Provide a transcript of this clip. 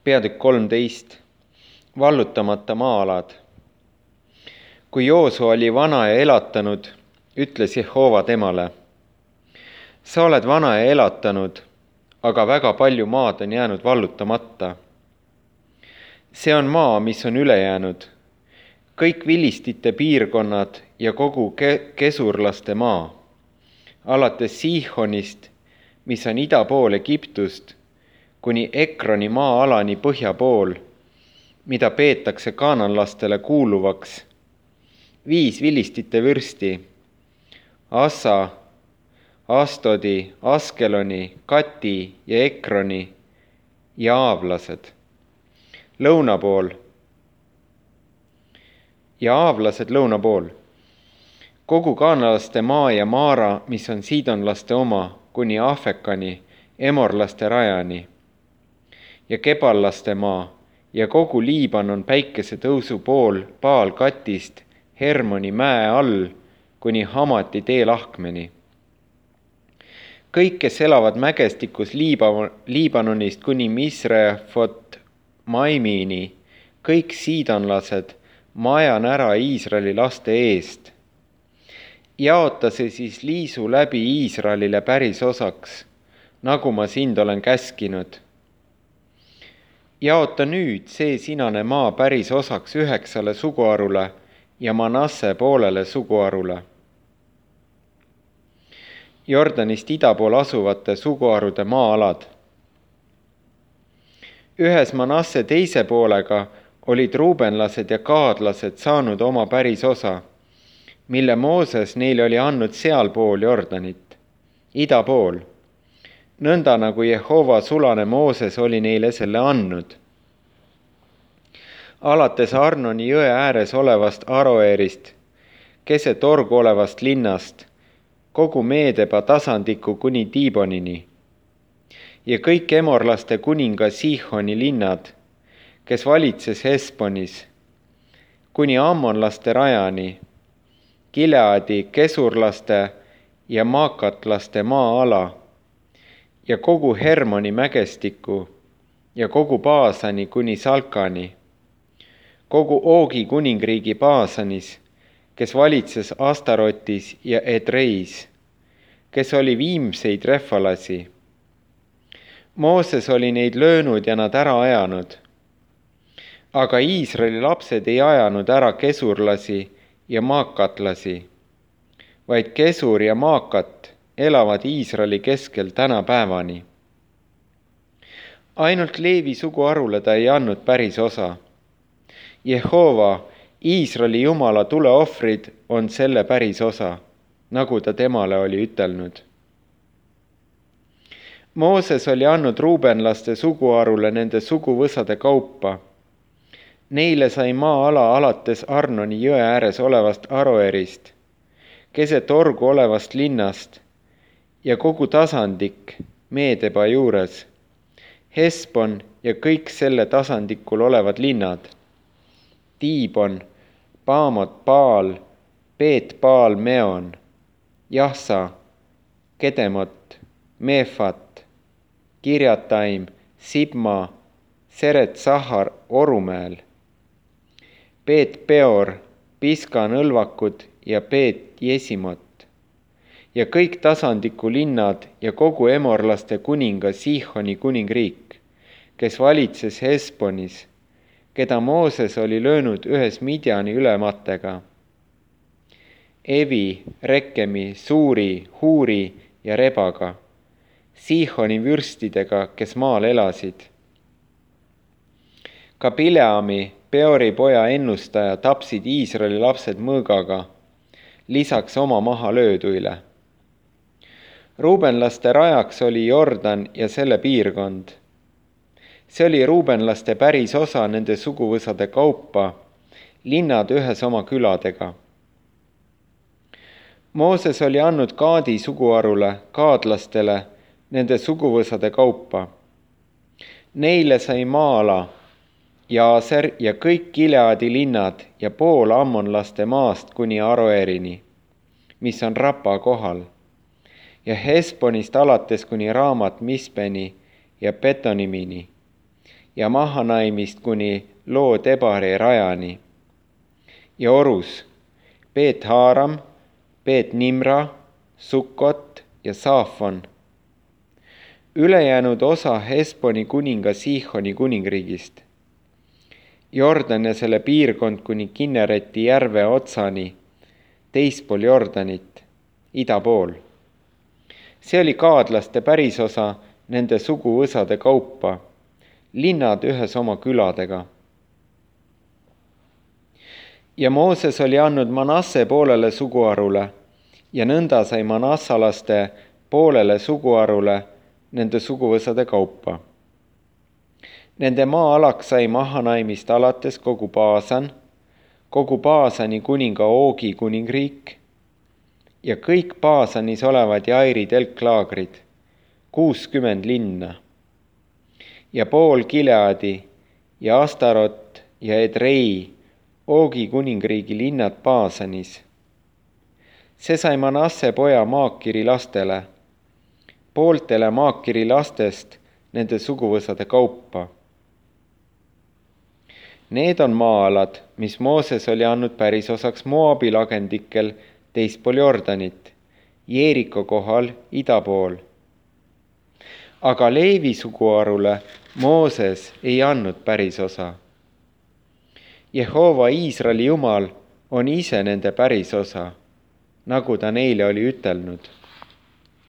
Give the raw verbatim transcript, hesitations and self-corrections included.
Peatükk kolmteist. Vallutamata maa-alad. Kui Joosua oli vana ja elatanud, ütles Jehova temale: sa oled vana ja elatanud, aga väga palju maad on jäänud vallutamata. See on maa, mis on üle jäänud, kõik vilistite piirkonnad ja kogu ke- kesurlaste maa, alates Siihonist, mis on ida pool Egiptust, kuni Ekroni maa-alani põhja pool, mida peetakse kaananlastele kuuluvaks, viis vilistite vürsti, Assa, Astodi, Askeloni, Kati ja Ekroni ja aavlased. Lõuna pool ja aavlased lõuna pool, kogu kaanalaste maa ja Maara, mis on siidonlaste oma, kuni Afekani, emorlaste rajani, ja keballaste maa ja kogu Liibanon päikese tõusu pool Baal Katist Hermoni mäe all kuni Hamati teelahkmeni. Kõik, kes elavad mägestikus Liiba- Liibanonist kuni Misrefot Maimini, kõik siidonlased, ma ajan ära Iisraeli laste eest. Jaota see siis liisu läbi Iisraelile päris osaks, nagu ma sind olen käskinud. Jaota nüüd see sinane maa päris osaks üheksale suguharule ja Manasse poolele suguharule. Jordanist ida pool asuvate suguharude maa-alad. Ühes Manasse teise poolega olid ruubenlased ja gaadlased saanud oma päris osa, mille Mooses neile oli andnud sealpool Jordanit, ida pool, nõnda nagu Jehova sulane Mooses oli neile selle andnud. Alates Arnoni jõe ääres olevast Aroerist, keset orgu olevast linnast, kogu Meedeba tasandiku kuni Tiibonini ja kõik emorlaste kuninga Siihoni linnad, kes valitses Hesbonis, kuni ammonlaste rajani, Gileadi, kesurlaste ja maakatlaste maa-ala ja kogu Hermoni mägestiku ja kogu Baasani kuni Salkani, kogu Oogi kuningriigi Baasanis, kes valitses Astarotis ja Edreis, kes oli viimseid refalasi. Mooses oli neid löönud ja nad ära ajanud. Aga Iisraeli lapsed ei ajanud ära kesurlasi ja maakatlasi, vaid kesur ja maakat elavad Iisraeli keskel tänapäevani. Ainult Leevi suguharule ta ei andnud päris osa. Jehova, Iisraeli Jumala tuleohvrid on selle päris osa, nagu ta temale oli ütelnud. Mooses oli andnud ruubenlaste suguharule nende suguvõsade kaupa. Neile sai maa-ala alates Arnoni jõe ääres olevast Aroerist, keset orgu olevast linnast ja kogu tasandik Meedeba juures, Hesbon ja kõik selle tasandikul olevad linnad, Tiibon, Baamot Baal, Beet Baal Meon, Jahsa, Kedemot, Meefat, Kirjataim, Sibma, Seret Sahar Orumäel, Beet Peor, Piska nõlvakud ja Beet Jesimot ja kõik tasandiku linnad ja kogu emorlaste kuninga Siihoni kuningriik, kes valitses Hesbonis, keda Mooses oli löönud ühes Midjani ülematega. Evi, Rekemi, Suuri, Huuri ja Rebaga, Siihoni vürstidega, kes maal elasid. Ka Bileami, Peori poja ennustaja, tapsid Iisraeli lapsed mõõgaga, lisaks oma maha lööduile. Ruubenlaste rajaks oli Jordan ja selle piirkond. See oli ruubenlaste päris osa nende suguvõsade kaupa, linnad ühes oma küladega. Mooses oli andnud Gaadi suguharule, gaadlastele, nende suguvõsade kaupa. Neile sai maa-ala, Jaaser ja kõik Gileadi linnad ja pool ammonlaste maast kuni Aroerini, mis on Rapa kohal, ja Hesbonist alates kuni Raamat Mispeni ja Betonimini ja Mahanaimist kuni Loo-Debari rajani. ja Orus Beet-Haaram, Beet-Nimra, Sukkot ja Saafon. ülejäänud osa Hesboni kuninga Siihoni kuningriigist. Jordan ja selle piirkond kuni Kinnereti järve otsani, teispool Jordanit, ida pool. see oli kaadlaste pärisosa nende suguvõsade kaupa, linnad ühes oma küladega. ja Mooses oli andnud Manasse poolele suguharule ja nõnda sai manassalaste poolele suguharule nende suguvõsade kaupa. Nende maa-alaks sai Mahanaimist alates kogu Baasan, kogu Baasani kuninga Oogi kuningriik ja kõik Baasanis olevad Jairi telklaagrid, kuuskümmend linna ja pool Gileadi ja Astarot ja Edrei, Oogi kuningriigi linnad Baasanis. see sai Manasse poja Maakiri lastele, pooltele Maakiri lastest nende suguvõsade kaupa. Need on maa-alad, mis Mooses oli andnud pärisosaks Moabi lagendikel teispool Jordanit, Jeeriko kohal ida pool. aga Leevi suguharule Mooses ei andnud pärisosa. Jehova Iisraeli Jumal on ise nende pärisosa, nagu ta neile oli ütelnud.